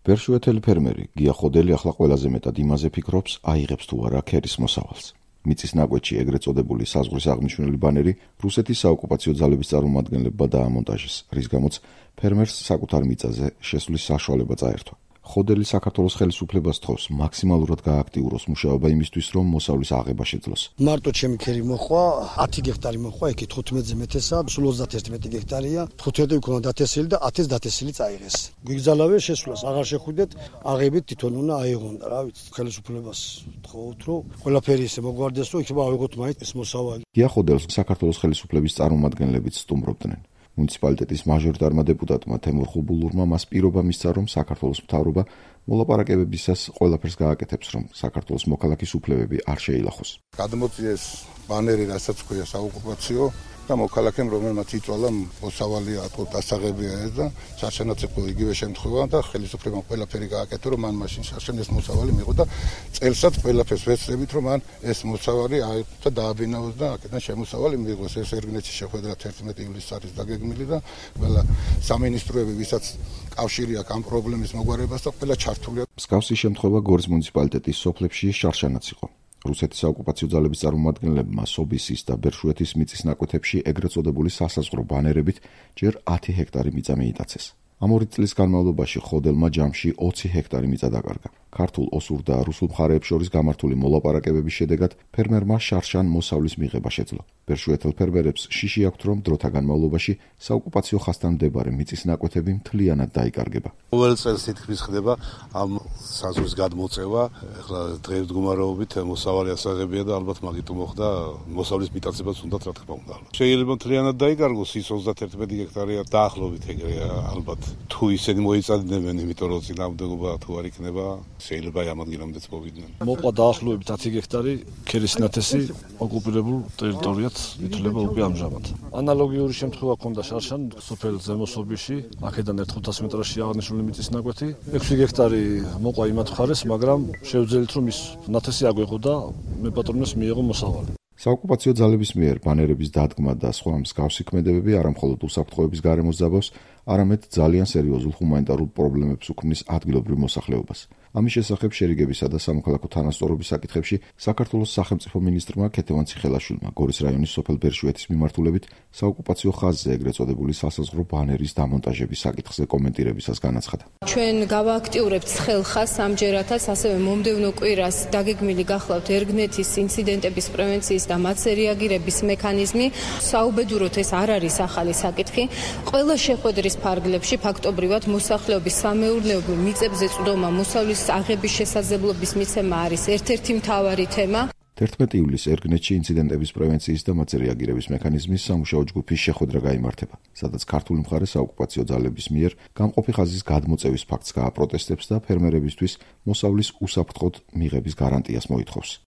ბერშუეთელი ფერმერი გია ხოდელი ახლა ყველაზე მეტად იმაზე ფიქრობს, აიღებს თუ არა ქერის მოსავალს. მიწის ნაკვეთში ეგრეთ წოდებული საზღვრის აღმნიშვნელი ბანერი რუსეთის საოკუპაციო ძალების წარმომადგენლებმა დაამონტაჟეს, რის გამოც ფერმერს საკუთარ მიწაზე შესვლის საშუალება წაერთვა. ხოდელი საქართველოს ხელისუფლებას თხოვს მაქსიმალურად გააქტიუროს მუშაობა იმისთვის, რომ მოსავლის აღება შეძლოს. მარტო ჩემი ქერი მოხვა 10 გექტარი მოხვა, ეგ 15-ზე მეტესა, სულ 31 გექტარია. 15 იქნა დათესილი და 10-ს დათესილი წაიღეს. გიგზალავე შესვლას აღარ შეხვიდეთ, აღებით თვითონ უნდა აიღონ და რა ვიცი, ხელისუფლებას თხოვთ, რომ ყველაფერი ისე მოგვარდეს, რომ იქნება ავიღოთ მაინც ეს მოსავალი. გია ხოდელს საქართველოს ხელისუფლების წარმომადგენლებიც სტუმრობდნენ. მუნიციპალიტეტის მაჟორიტარმა დეპუტატმა თემურ ხუბულურმა მას პირობა მისცა, რომ საქართველოს მთავრობა მოლაპარაკებებისას ყველაფერს გააკეთებს, რომ საქართველოს მოქალაქის უფლებები არ შეილახოს. გადმოწიეს ბანერი, რასაც ქვია საოკუპაციო და მოქალაქემ, რომელმაც იწვალა მოსავალი დასაღებია ეს და შარშანაც იყო იგივე შემთხვევა და ხელისუფლებამ ყველაფერი გააკეთა, რომ მან მაშინ შარშან ეს მოსავალი მიიღო და წელსაც ყველაფერს ვეცდებით, რომ მან ეს მოსავალი აიღო და დააბინავოს და აქედან შემოსავალი მიიღოს. ეს ერგნეთში შეხვედრა 11 ივლისს არის დაგეგმილი და ყველა სამინისტროები, ვისაც კავშირი აქვს ამ პრობლემის მოგვარებას და ყველა ჩართულია. მსგავსი შემთხვევა გორის მუნიციპალიტეტის სოფლებში შარშანაც იყო. რუსეთის საოკუპაციო ძალების წარმომადგენლებმა სობისის და ბერშუეთის მიწის ნაკვეთებში ეგრეთ წოდებული სასაზღვრო ბანერებით ჯერ 10 ჰექტარი მიწა მიიტაცეს. ამ 2 წლის განმავლობაში ხოდელმა ჯამში 20 ჰექტარი მიწა დაკარგა. ქართულ, ოსურ და რუსულ მხარეებს შორის გამართული მოლაპარაკებების შედეგად ფერმერმა შარშან მოსავლის მიღება შეძლო. ბერშუეთელ ფერმერებს შიში აქვთ, რომ დროთა განმავლობაში საოკუპაციო ხაზთან მდებარე მიწის ნაკვეთები მთლიანად დაიკარგება. ყოველ წელს თითქმის ხდება ამ საზღვრის გადმოწევა. ახლა დღესდღეობით მოსავალი ასაღებია და ალბათ მაგით მოხდა მოსავლის მიტაცებაც უნდათ, რა თქმა უნდა. შეიძლება მთლიანად დაიკარგოს, ის 31 ჰექტარია დაახლოებით ეგრეა ალბათ. თუ ისინი მოიწადებენ, იმიტომ რომ წინააღმდეგობა თუ არ იქნება, შეიძლება ამ ადგილამდეც მოვიდნენ. მოყვა დაახლოებით 10 ჰექტარი ქერის ნათესი ოკუპირებულ ტერიტორიად ითვლება უკვე ამჟამად. ანალოგიური შემთხვევა ჰქონდა შარშან სოფელ ზემოსობიში, აქედან 1-500 მეტრში აღნიშნული მიწის ნაკვეთი. 6 ჰექტარი მოყვა იმათ მხარეს, მაგრამ შევძელით რომ ის ნათესი აგვეღო და მეპატრონეს მიიღო მოსავალი. საოკუპაციო ძალების მიერ ბანერების დადგმა და სხვა მსგავსი ქმედებები არამხოლოდ უსაფრთხოების გარემოს ძაბავს, არამედ ძალიან სერიოზულ ჰუმანიტარულ პრობლემებს უქმნის ადგილობრივ მოსახლეობას. ამის შესახებ შერიგებისა და სამოქალაქო თანასწორობის საკითხებში საქართველოს სახელმწიფო მინისტრმა ქეთევან ციხელაშვილმა გორის რაიონის სოფელ ბერშუეთის მიმართულებით საოკუპაციო ხაზზე ეგრეთ წოდებული სასაზღვრო ბანერის დამონტაჟების საკითხზე კომენტირებისას განაცხადა. ჩვენ გავააქტიურებთ ხელხას ამჯერადაც, ასევე მომდევნო კვირას დაგეგმილი გახლავთ ერგნეთის ინციდენტების პრევენციის და მათზე რეაგირების მექანიზმი. საუბედუროთ ეს არ არის ახალი საკითხი. ყველა შეხვედრის ფარგლებში ფაქტობრივად მოსახლეობის სამეურნეობო მიწებზე წვდომა, მოსავლის აღების შესაძლებლობის მიცემა არის ერთ-ერთი მთავარი თემა. 11 ივლისს ერგნეთში ინციდენტების პრევენციის და მათზე რეაგირების მექანიზმის სამუშაო ჯგუფის შეხვედრა გაიმართება, სადაც ქართული მხარე საოკუპაციო ძალების მიერ გამყოფი ხაზის გადმოწევის ფაქტს გააპროტესტებს და ფერმერებისთვის მოსავლის უსაფრთხოდ მიღების გარანტიას მოითხოვს.